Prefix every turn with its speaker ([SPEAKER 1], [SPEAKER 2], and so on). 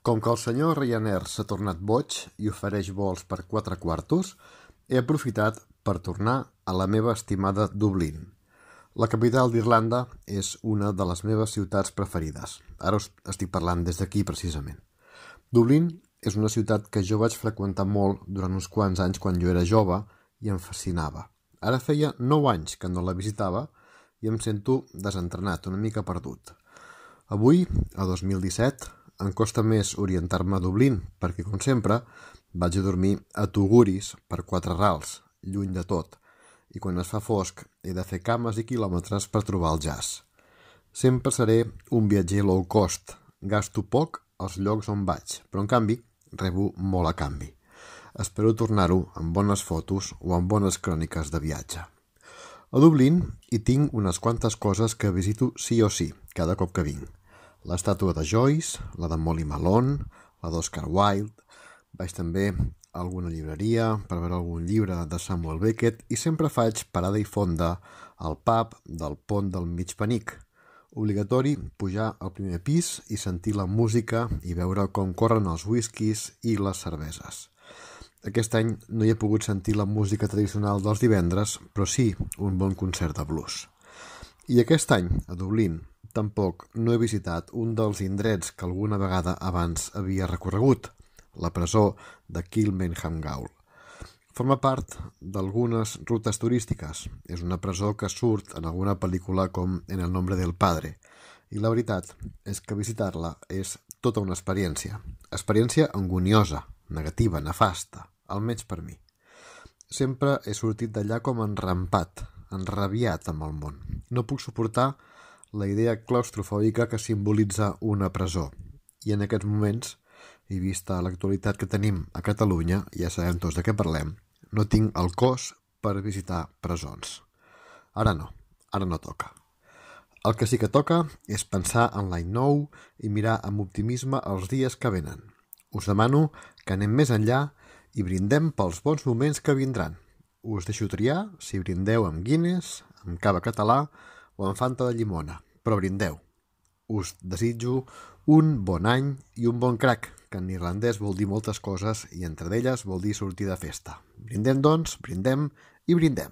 [SPEAKER 1] Com que el senyor Ryanair s'ha tornat boig i ofereix vols per 4 quartos, he aprofitat per tornar a la meva estimada Dublín. La capital d'Irlanda és una de les meves ciutats preferides. Ara us estic parlant des d'aquí precisament. Dublín és una ciutat que jo vaig freqüentar molt durant uns quants anys quan jo era jove i em fascinava. Ara feia 9 anys que no la visitava i em sento desentrenat, una mica perdut. Avui, a 2017, em costa més orientar-me a Dublín, perquè, com sempre, vaig a dormir a Tuguris per 4 rals, lluny de tot, i quan es fa fosc he de fer cames i quilòmetres per trobar el jazz. Sempre seré un viatger low cost, gasto poc als llocs on vaig, però en canvi rebo molt a canvi. Espero tornar-ho amb bones fotos o amb bones cròniques de viatge. A Dublín hi tinc unes quantes coses que visito sí o sí, cada cop que vinc. L'estàtua de Joyce, la de Molly Malone, la d'Oscar Wilde. Vaig també a alguna llibreria per veure algun llibre de Samuel Beckett i sempre faig parada i fonda al pub del Pont del Mig Penic. Obligatori pujar al primer pis i sentir la música i veure com corren els whiskies i les cerveses. Aquest any no hi he pogut sentir la música tradicional dels divendres, però sí un bon concert de blues. I aquest any, a Dublín, tampoc no he visitat un dels indrets que alguna vegada abans havia recorregut, la presó de Kilmainham Gaol. Forma part d'algunes rutes turístiques. És una presó que surt en alguna pel·lícula com En el nombre del padre. I la veritat és que visitar-la és tota una experiència. Experiència angoniosa, negativa, nefasta, almenys per mi. Sempre he sortit d'allà com enrampat, enrabiat amb el món. No puc suportar la idea claustrofòbica que simbolitza una presó. I en aquests moments, i vista l'actualitat que tenim a Catalunya, ja sabem tots de què parlem, no tinc el cos per visitar presons. Ara no toca. El que sí que toca és pensar en l'any nou i mirar amb optimisme els dies que venen. Us demano que anem més enllà i brindem pels bons moments que vindran. Us deixo triar si brindeu amb Guinness, amb cava català o amb Fanta de llimona, però brindeu. Us desitjo un bon any i un bon crac, que en irlandès vol dir moltes coses i entre d'elles vol dir sortir de festa. Brindem, doncs, brindem i brindem.